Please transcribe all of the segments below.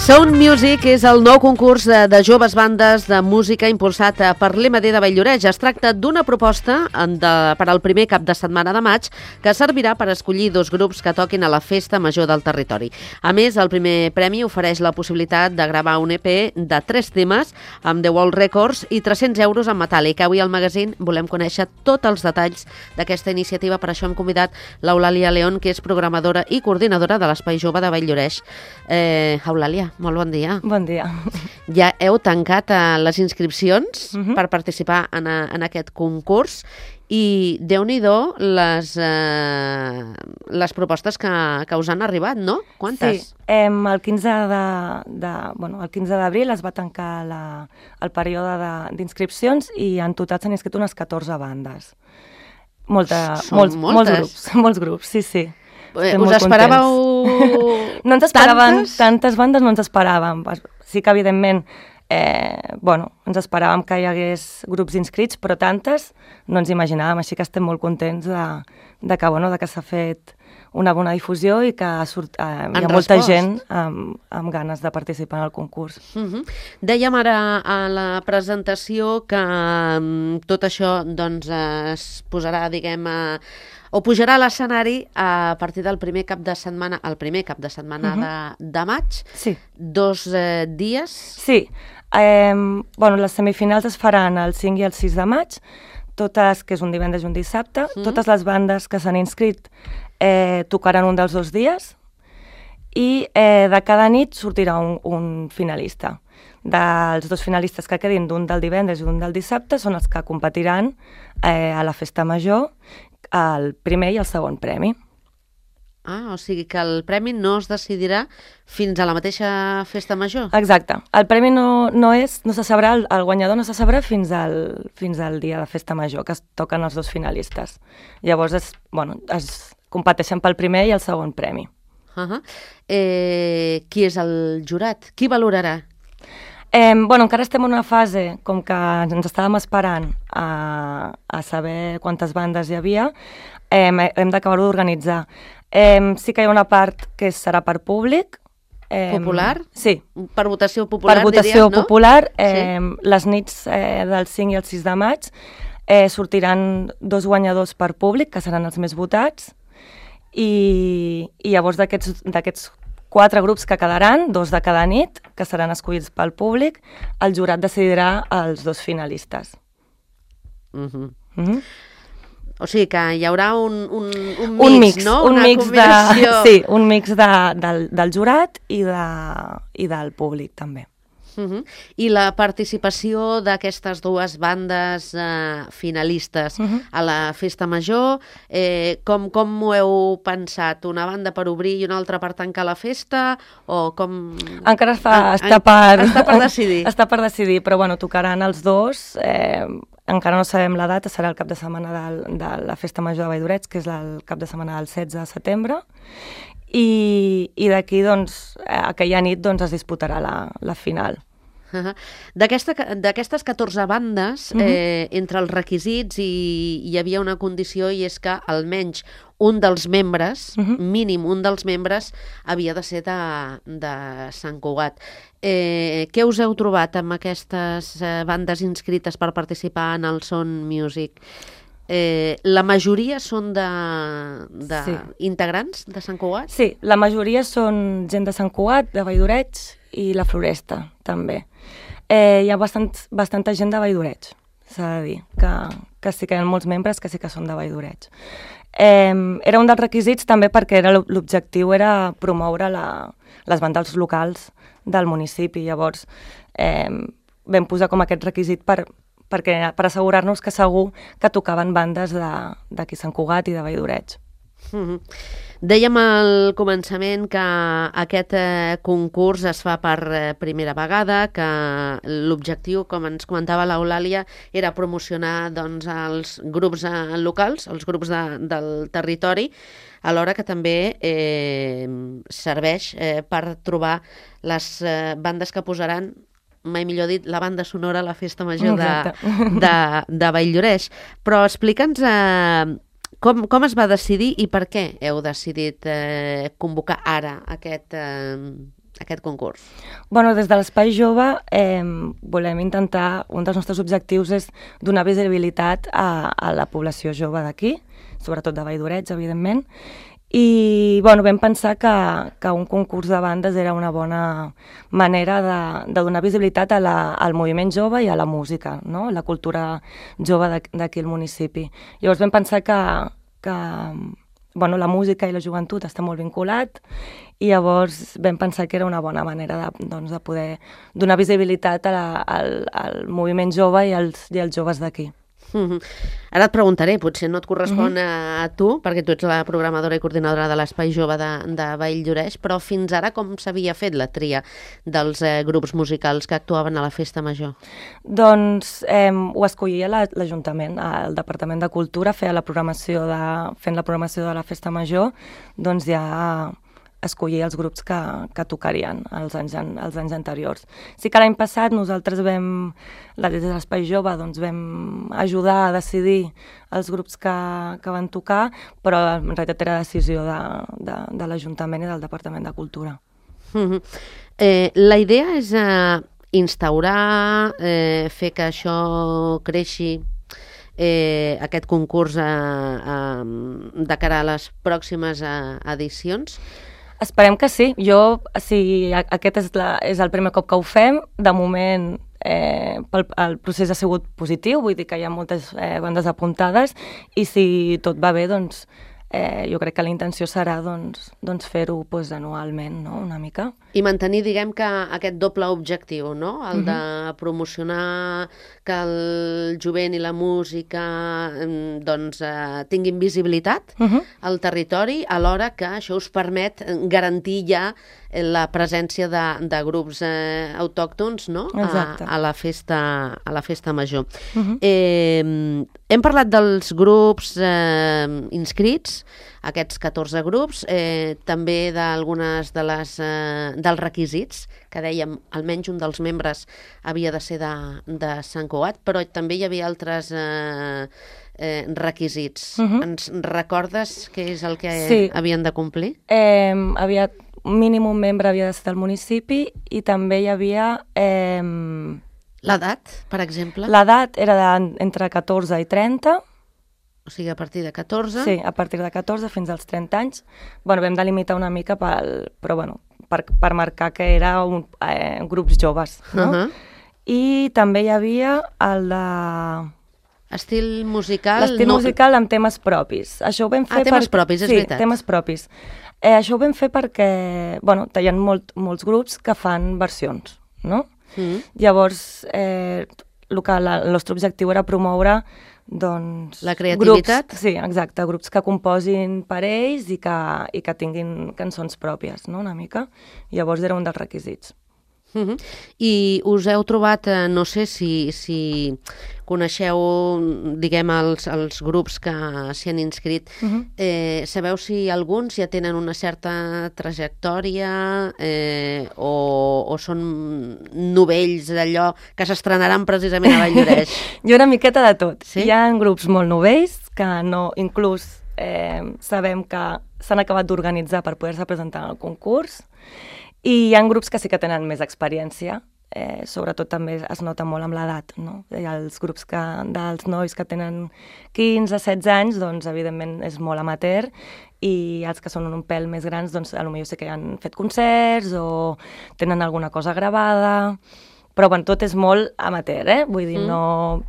Sound Music és el nou concurs de joves bandes de música impulsat per l'MD de Valldoreix. Es tracta d'una proposta per al primer cap de setmana de maig que servirà per escollir 2 grups que toquin a la festa major del territori. A més, el primer premi ofereix la possibilitat de gravar un EP de 3 temes amb The World Records i 300 euros en metàl·lic. Avui al magazín volem conèixer tots els detalls d'aquesta iniciativa. Per això hem convidat l'Eulàlia León, que és programadora i coordinadora de l'Espai Jove de Valldoreix. Eulàlia, molt bon dia. Bon dia. Ja heu tancat les inscripcions per participar en aquest concurs i Déu-n'hi-do les propostes que us han arribat, no? Quantes? Sí, el 15 d'abril es va tancar el període d'inscripcions i en total s'han inscrit unes 14 bandes. Molts grups, sí. Us esperàveu no ens esperàvem tantes bandes, no ens esperàvem. Sí que, evidentment, ens esperàvem que hi hagués grups inscrits, però tantes no ens imaginàvem, així que estem molt contents que s'ha fet una bona difusió i que hi ha molta gent amb ganes de participar en el concurs. Dèiem ara a la presentació que tot això es posarà, o pujarà a l'escenari a partir del primer cap de setmana, de maig. Sí. 2 dies. Sí. Les semifinals es faran el 5 i el 6 de maig, totes, que és un divendres i un dissabte. Totes les bandes que s'han inscrit tocaran un dels 2 dies i de cada nit sortirà un finalista. Dels 2 finalistes que quedin, d'un del divendres i un del dissabte, són els que competiran a la festa major, el primer i el segon premi. O sigui que el premi no es decidirà fins a la mateixa festa major? Exacte. El premi no se sabrà, el guanyador no se sabrà fins al dia de festa major, que es toquen els 2 finalistes. Llavors es competeixen pel primer i el segon premi. Qui és el jurat? Qui valorarà? Encara estem en una fase com que ens estàvem esperant a saber quantes bandes hi havia. Hem d'acabar-ho d'organitzar. Sí que hi ha una part que serà per públic. Popular? Sí. Per votació popular, diries, no? Per votació popular. Sí. Les nits del 5 i el 6 de maig sortiran 2 guanyadors per públic, que seran els més votats, i llavors d'aquests 4 grups que quedaran, 2 de cada nit, que seran escollits pel públic, el jurat decidirà els 2 finalistes. O sigui que hi haurà un mix, no? Una combinació. Sí, un mix del jurat i del públic, també. I la participació d'aquestes 2 bandes finalistes a la festa major, com ho heu pensat? Una banda per obrir i una altra per tancar la festa? O com... Encara està per decidir. Està per decidir, però tocaran els 2. Encara no sabem la data, serà el cap de setmana de la festa major de Valldoreix, que és el cap de setmana del 16 de setembre, i d'aquí, aquella nit, es disputarà la final. D'aquestes 14 bandes, entre els requisits hi havia una condició, i és que almenys un dels membres, mínim un dels membres, havia de ser de Sant Cugat. Què us heu trobat amb aquestes bandes inscrites per participar en el Sound Music? La majoria són integrants de Sant Cugat? Sí, la majoria són gent de Sant Cugat, de Valldoreix i la Floresta, també. Hi ha bastanta gent de Valldoreix, s'ha de dir, que sí que hi ha molts membres que sí que són de Valldoreix. Era un dels requisits també perquè l'objectiu era promoure les bandes locals del municipi. Llavors vam posar com aquest requisit per assegurar-nos que segur que tocaven bandes d'aquí Sant Cugat i de Valldoreix. Dèiem al començament que aquest concurs es fa per primera vegada, que l'objectiu, com ens comentava l'Eulàlia, era promocionar els grups locals, els grups del territori, alhora que també serveix per trobar les bandes que posaran, mai millor dit, la banda sonora a la festa major de Valldoreix. Però explica'ns com es va decidir i per què heu decidit convocar ara aquest aquest concurs? Bueno, des de l'Espai Jove volem intentar, un dels nostres objectius és donar visibilitat a la població jove d'aquí, sobretot de Valldoreix, evidentment, i bueno, vam pensar que un concurs de bandes era una bona manera de donar visibilitat al moviment jove i a la música, no? La cultura jove d'aquí al municipi. Llavors vam pensar que bueno, la música i la joventut està molt vinculat i llavors vam pensar que era una bona manera de poder donar visibilitat al moviment jove i als joves d'aquí. Ara et preguntaré, potser no et correspon a tu, perquè tu ets la programadora i coordinadora de l'Espai Jove de Valldoreix, però fins ara com s'havia fet la tria dels grups musicals que actuaven a la Festa Major? Doncs ho escollia l'Ajuntament, el Departament de Cultura, fent la programació de la Festa Major, doncs ja escollir els grups que tocarien els anys anteriors. Sí que l'any passat nosaltres des de l'Espai Jove, doncs vam ajudar a decidir els grups que van tocar, però en realitat era decisió de l'Ajuntament i del Departament de Cultura. La idea és instaurar, fer que això creixi, aquest concurs de cara a les pròximes edicions? Esperem que sí. Aquest és el primer cop que ho fem. De moment el procés ha sigut positiu, vull dir que hi ha moltes bandes apuntades i si tot va bé, doncs jo crec que la intenció serà fer-ho anualment, no? Una mica. I mantenir, diguem que aquest doble objectiu, no? El de promocionar que el jovent i la música tinguin visibilitat al territori, alhora que això us permet garantir ja la presència de grups autòctons, no? A la festa major. Hem parlat dels grups inscrits, aquests 14 grups, també d'algunes dels requisits, que dèiem, almenys un dels membres havia de ser de Sant Cugat, però també hi havia altres requisits. Ens recordes què és el que havien de complir? Un mínim membre havia de ser del municipi i també hi havia... L'edat, per exemple? L'edat era entre 14 i 30. O sigui, a partir de 14? Sí, a partir de 14 fins als 30 anys. Bueno, vam delimitar una mica per marcar que era grups joves, no? I també hi havia el de... Estil musical... L'estil musical amb temes propis. Això ho vam fer temes propis, és veritat. Sí, temes propis. Això ho vam fer perquè, bueno, hi ha molts grups que fan versions, no? Llavors, el nostre objectiu era promoure, doncs... La creativitat? Sí, exacte, grups que composin per ells i que tinguin cançons pròpies, no?, una mica. Llavors era un dels requisits. I us heu trobat, no sé si coneixeu, diguem, els grups que s'hi han inscrit, sabeu si alguns ja tenen una certa trajectòria o són novells d'allò que s'estrenaran precisament a Valldoreix? Hi ha una miqueta de tot. Sí? Hi ha grups molt novells que inclús sabem que s'han acabat d'organitzar per poder-se presentar al concurs. I hi ha grups que sí que tenen més experiència, sobretot també es nota molt amb l'edat, no? Hi ha els grups dels nois que tenen 15-16 anys, doncs evidentment és molt amateur, i els que són un pèl més grans, doncs potser sí que han fet concerts o tenen alguna cosa gravada, però bueno, tot és molt amateur, vull dir, no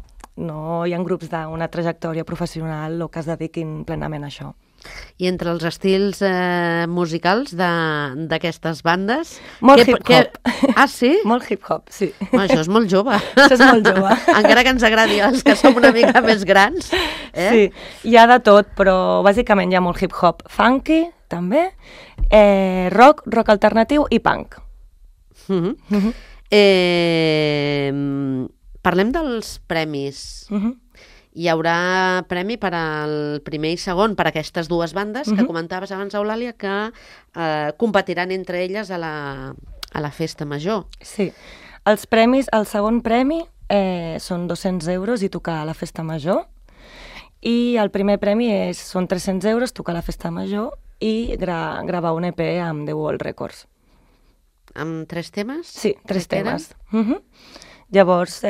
hi ha grups d'una trajectòria professional o que es dediquin plenament a això. I entre els estils musicals d'aquestes bandes... Molt hip-hop. Ah, sí? Molt hip-hop, sí. Això és molt jove. Això és molt jove. Encara que ens agradi els que som una mica més grans. Sí, hi ha de tot, però bàsicament hi ha molt hip-hop funky, també, rock alternatiu i punk. Parlem dels premis. Hi haurà premi per al primer i segon per a aquestes dues bandes que comentaves abans, Eulàlia, que competiran entre elles a la festa major. Sí. Els premis, el segon premi són 200 euros i tocar a la festa major, i el primer premi són 300 euros, tocar a la festa major i gravar un EP amb The World Records. amb 3 temes? Sí, 3 temes. Llavors,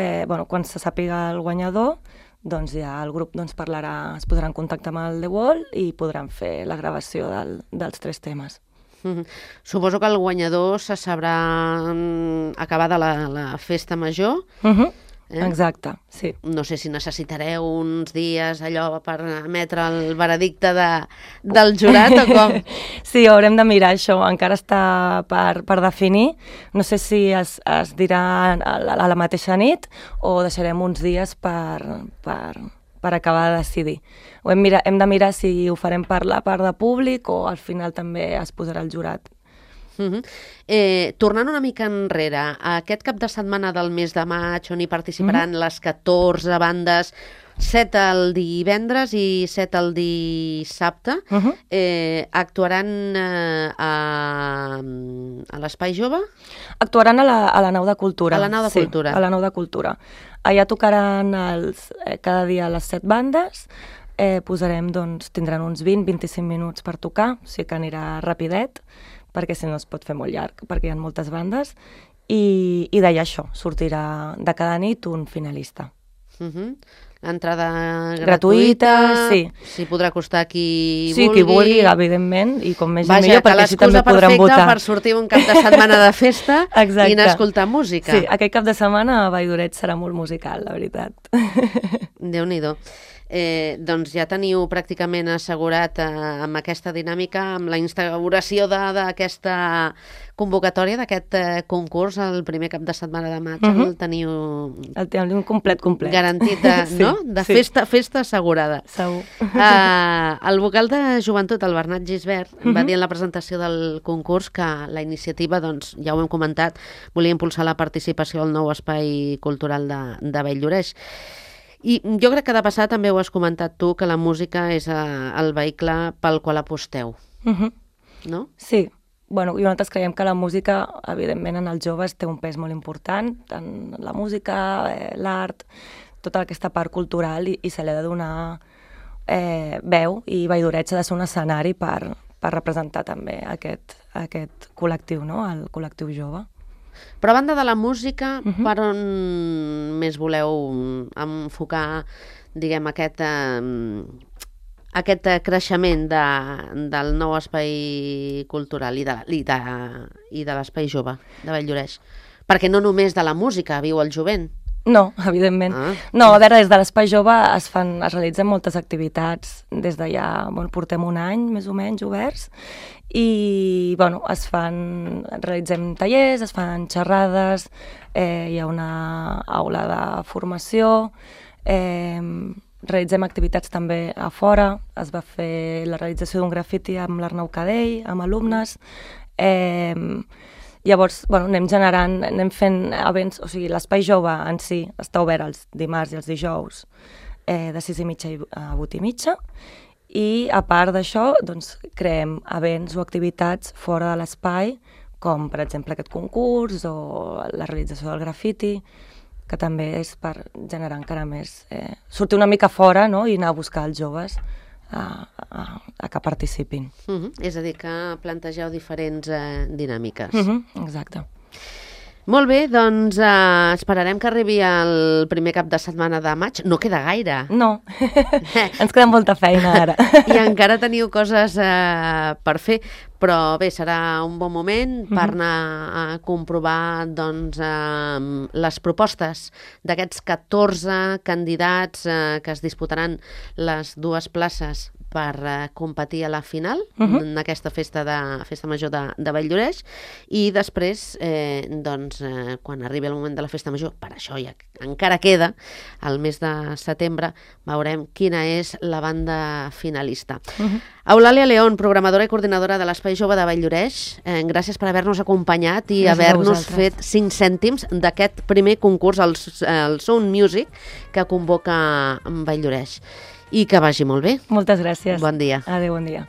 quan se sàpiga el guanyador, doncs ja el grup es posarà en contacte amb el The Wall i podran fer la gravació dels 3 temes. Suposo que el guanyador se sabrà acabada la festa major. Exacte, sí. No sé si necessitareu uns dies allò per emetre el veredicte del jurat o com? Sí, haurem de mirar això, encara està per definir. No sé si es dirà a la mateixa nit o deixarem uns dies per acabar de decidir. Hem de mirar si ho farem per la part de públic o al final també es posarà el jurat. Tornant una mica enrere, aquest cap de setmana del mes de maig on hi participaran les 14 bandes, 7 el divendres i 7 el dissabte, actuaran a l'Espai Jove? Actuaran a la Nau de Cultura. A la Nau de Cultura. Sí, a la Nau de Cultura. Allà tocaran cada dia les 7 bandes, tindran uns 20-25 minuts per tocar, o sigui que anirà rapidet, perquè si no es pot fer molt llarg, perquè hi ha moltes bandes, i d'allà això, sortirà de cada nit un finalista. L'entrada gratuïta, sí. S'hi podrà acostar qui vulgui. Sí, qui vulgui, evidentment, i com més gent millor, perquè així també podrem votar. Vaja, que l'excusa perfecta per sortir un cap de setmana de festa i anar a escoltar música. Sí, aquest cap de setmana a Valldoret serà molt musical, la veritat. Déu-n'hi-do. Doncs ja teniu pràcticament assegurat amb aquesta dinàmica, amb la instauració d'aquesta convocatòria, d'aquest concurs, el primer cap de setmana de maig, el teniu... El tenim complet. Garantit, no? De festa assegurada. Segur. El vocal de Joventut, el Bernat Gisbert, va dir en la presentació del concurs que la iniciativa, doncs, ja ho hem comentat, volia impulsar la participació al nou espai cultural de Valldoreix. I jo crec que de passada també ho has comentat tu, que la música és el vehicle pel qual aposteu, no? Sí. Bueno, i nosaltres creiem que la música, evidentment, en els joves té un pes molt important, tant la música, l'art, tota aquesta part cultural, i se li ha de donar veu, i Valldoret ha de ser un escenari per representar també aquest col·lectiu, no? El col·lectiu jove. Però a banda de la música, per on més voleu enfocar, diguem, aquest creixement del nou espai cultural i de l'espai jove de Valldoreix? Perquè no només de la música viu el jovent. No, evidentment. No, a veure, des de l'Espai Jove es realitzen moltes activitats des de ja, portem un any més o menys oberts, i realitzem tallers, es fan xerrades, hi ha una aula de formació, realitzem activitats també a fora, es va fer la realització d'un grafiti amb l'Arnau Cadell, amb alumnes, llavors, anem generant, anem fent events, o sigui, l'Espai Jove en si està obert els dimarts i els dijous de 6:30 a 8:30, i a part d'això, doncs, creem events o activitats fora de l'espai, com per exemple aquest concurs o la realització del grafiti, que també és per generar encara més, sortir una mica fora, no?, i anar a buscar els joves a que participin. És a dir, que plantegeu diferents dinàmiques. Exacte. Molt bé, doncs esperarem que arribi el primer cap de setmana de maig. No queda gaire. No, ens queda molta feina ara. I encara teniu coses per fer, però bé, serà un bon moment per anar a comprovar doncs, les propostes d'aquests 14 candidats que es disputaran les 2 places per competir a la final en aquesta festa major de Valldoreix, i després, quan arribi el moment de la festa major, per això ja encara queda, al mes de setembre, veurem quina és la banda finalista. Eulàlia León, programadora i coordinadora de l'Espai Jove de Valldoreix, gràcies per haver-nos acompanyat i haver-nos fet 5 cèntims d'aquest primer concurs, el Sound Music, que convoca Valldoreix. I que vagi molt bé. Moltes gràcies. Bon dia. Adéu, bon dia.